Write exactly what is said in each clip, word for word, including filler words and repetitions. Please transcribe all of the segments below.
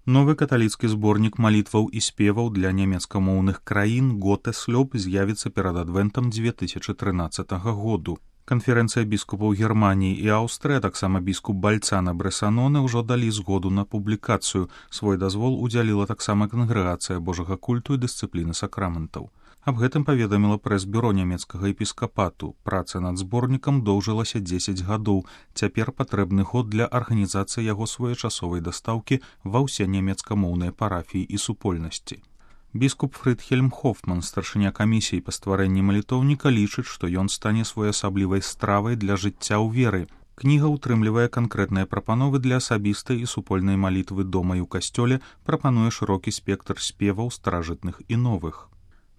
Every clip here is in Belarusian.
Новы каталіцкі зборнік малітваў і спеваў для нямецкамоўных краін «Готеслёб» з'явіцца перад адвентам дзве тысячы трынаццатага году. Канферэнцыя біскупаў Германіі і Аўстрыі, а таксама біскуп Бальцана Брэсаноне ўжо далі згоду на публікацыю. Свой дазвол удзяліла таксама кангрэгацыя Божага культу і дысцыпліны сакраментаў. Аб гэтым паведаміла прэс-бюро нямецкага епіскапату. Праца над зборнікам доўжылася дзесяць гадоў. Цяпер патрэбны год для арганізацыі яго своечасовай дастаўкі ва ўсе нямецкамоўныя парафіі і супольнасці. Біскуп Фрыдхельм Хофман, старшыня камісіі па стварэнні малітоўніка, лічыць, што ён стане своеасаблівай стравай для жыцця ў веры. Кніга ўтрымлівае канкрэтныя прапановы для асабістай і супольнай малітвы дома і ў касцёле, прапануе шырокі спектр спеваў старажытных і новых.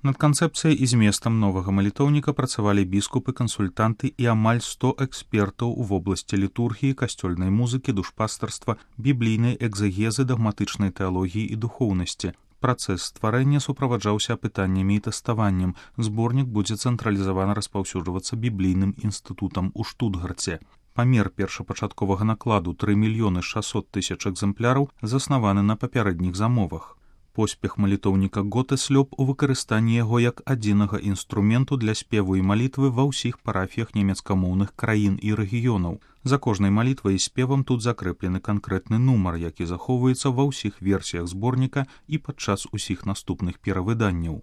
Над канцэпцыяй і зместам новага малітоўніка працавалі біскупы, кансультанты і амаль сто экспертаў у вобласці літургіі, касцёльнай музыкі, душпастарства, біблійнай экзэгезы, дагматычнай тэалогіі і духоўнасці. Працэс стварэння суправаджаўся апытаннямі і тэставаннем. Зборнік будзе цэнтралізавана распаўсюджвацца біблійным інстытутам у Штутгарце. Памер першапачатковага накладу тры мільёны шасцьсот тысяч экземпляраў заснаваны на папярэдніх замовах. Поспех малітоўніка «Готеслёб» у выкарыстанні яго як адзінага інструменту для спеву і малітвы ва ўсіх парафіях нямецкамоўных краін і рэгіёнаў. За кожнай малітвай і спевам тут закрэплены канкрэтны нумар, які захоўваецца ва ўсіх версіях зборніка і падчас усіх наступных перавыданняў.